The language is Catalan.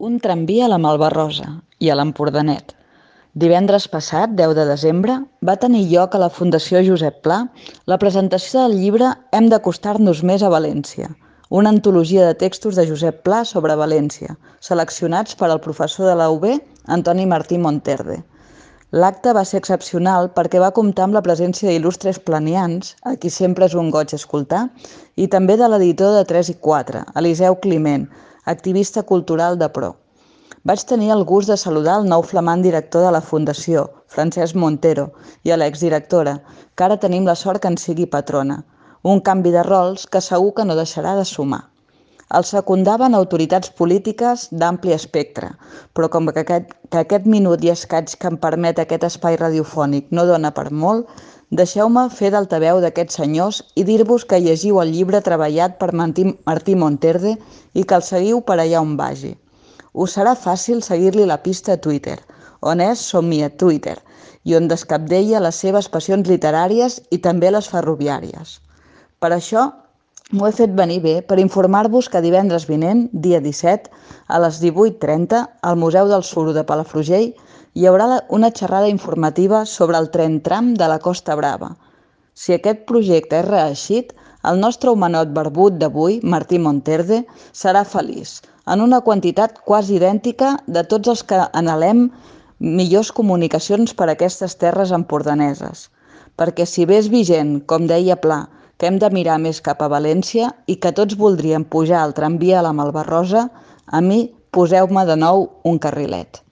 Un tramvia a la Malvarrosa i a l'Empordanet. Divendres passat, 10 de desembre, va tenir lloc a la Fundació Josep Pla la presentació del llibre Hem d'acostar-nos més a València, una antologia de textos de Josep Pla sobre València, seleccionats per al professor de la UB, Antoni Martí Monterde. L'acte va ser excepcional perquè va comptar amb la presència d'il·lustres planians, a qui sempre és un goig escoltar, i també de l'editor de 3 i 4, Eliseu Climent, activista cultural de Pro. Vaig tenir el gust de saludar el nou flamant director de la Fundació, Francesc Montero, i a l'exdirectora, que ara tenim la sort que en sigui patrona. Un canvi de rols que segur que no deixarà de sumar. El secundaven autoritats polítiques d'ampli espectre, però com que aquest minut i escaig que em permet aquest espai radiofònic no dona per molt, deixeu-me fer d'altaveu d'aquests senyors i dir-vos que llegiu el llibre treballat per Martí Monterde i que el seguiu per allà on vagi. Us serà fàcil seguir-li la pista a Twitter, on és Somia Twitter, i on descabdella les seves passions literàries i també les ferroviàries. Per això, m'ho he fet venir bé per informar-vos que divendres vinent, dia 17, a les 18:30, al Museu del Suro de Palafrugell, hi haurà una xerrada informativa sobre el tren tram de la Costa Brava. Si aquest projecte és reeixit, el nostre homenot barbut d'avui, Martí Monterde, serà feliç, en una quantitat quasi idèntica de tots els que anhelem millors comunicacions per a aquestes terres empordaneses. Perquè si bé és vigent, com deia Pla, que hem de mirar més cap a València i que tots voldríem pujar al tramvia a la Malvarrosa, a mi poseu-me de nou un carrilet.